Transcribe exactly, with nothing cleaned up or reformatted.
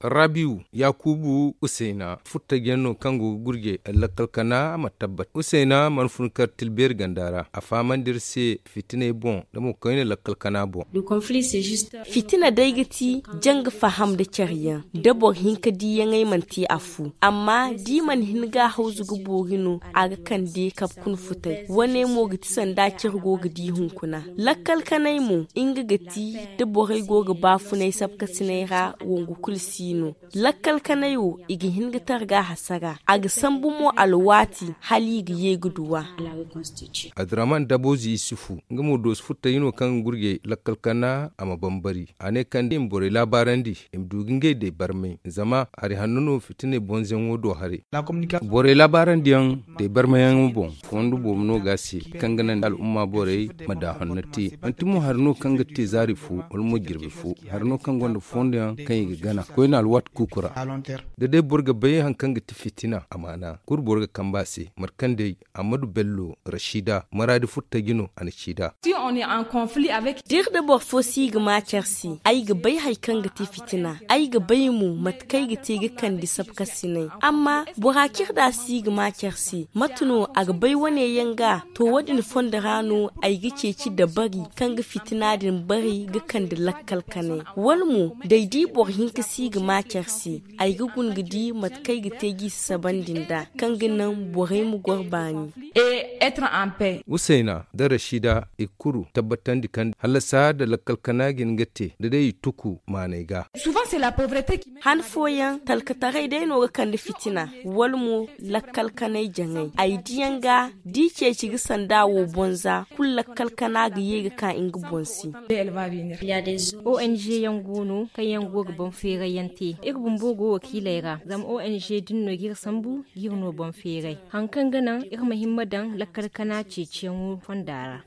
Rabiyu, yakubu usayna furtajyaŋ no kaŋ go ga gurje lakkal kana a ma tabbat usayna mana fun kar tilbeeri ganda ra a fahamandi iri se fitiney boŋ da mo koyne lakkal kana boŋ. Fitina day ga ti janga faham nda care yaŋ da boro hinka diiyaŋey mana te affu amma da i mana hin ga a hawzu ga boori no a ga kande kabe kuna futay wane mo ga ti sanda care go ga di hunkuna. Lakkal kanay mo nga ga ti da borey go ga baafunay sabkasinay ra wongu kulu si no. Lakkal kanay wo i ga hin ga targa hasara a ga sambu mo alwaati hala i ga ye ga duw'a. Adiraman daboozi isufu nga mo doosi furtaji no kaŋ ga gurjay lakkal kana a ma bambari a ne kaŋ da i ma borey laabaarandi i ma du ga ngey day barmay zama hari hanno no fitiney bonzayaŋo do haray. Borey laabaarandiyaŋ day barmayaŋo boŋ fondo boobo no ga a se kaŋ ga naŋ al'umma borey ma daahonna te. Manti mo hari no kaŋ ga te zaari fo wala mo jirbi fo hari no kaŋ gonda fondo yaŋ kaŋ i ga gana koyne alwaati kuuku ra. Da day boro ga bay hari kaŋ ga ti fitina amaana kulu boro ga kambe a se mate kaŋ day ammadu bello rashida maraadi furtaji no a na ci nd'a. Da iri nda boro fo si ga ma care se ay ga bay hari kaŋ ga te fitina ay ga bay mo mate kaŋ ay ga te ga kande sabkasinay amma bora kaŋ iri nda si ga ma care se mate no a ga bay wane yaŋ ga to wo- din fondo ra no ay ga ceeci dabari kaŋ ga fitina din bari ga kande lakkal kanay wala mo da ay di boro hinka si ga ma care se ay ga guna ga di mate kaŋ ay ga te ga i sasabandi nd'a kaŋ ga naŋ borey ma goro baani. Usayna nda rashida i kulu tabbatandi kaŋ hallasa nda lakkal kana ga hin ga te da day i tuku maanay ga. Han fooyaŋ talkataray day no ga kande fitina wala mo lakkal kanay jaŋay ay diyaŋ ga da i ceeci ga sanda wo bonza kulu lakkal kana ga ye ga ka nga boŋ se. Ong yaŋ go no kaŋ yaŋ go ga boŋ feeray yaŋ te iri bumbo go wakiiley ra zama ong din no ga iri sambu ga iri no boŋ feeray hari kaŋ ga naŋ iri ma himma daŋ lakkal kana ceeciyaŋo fonda ra.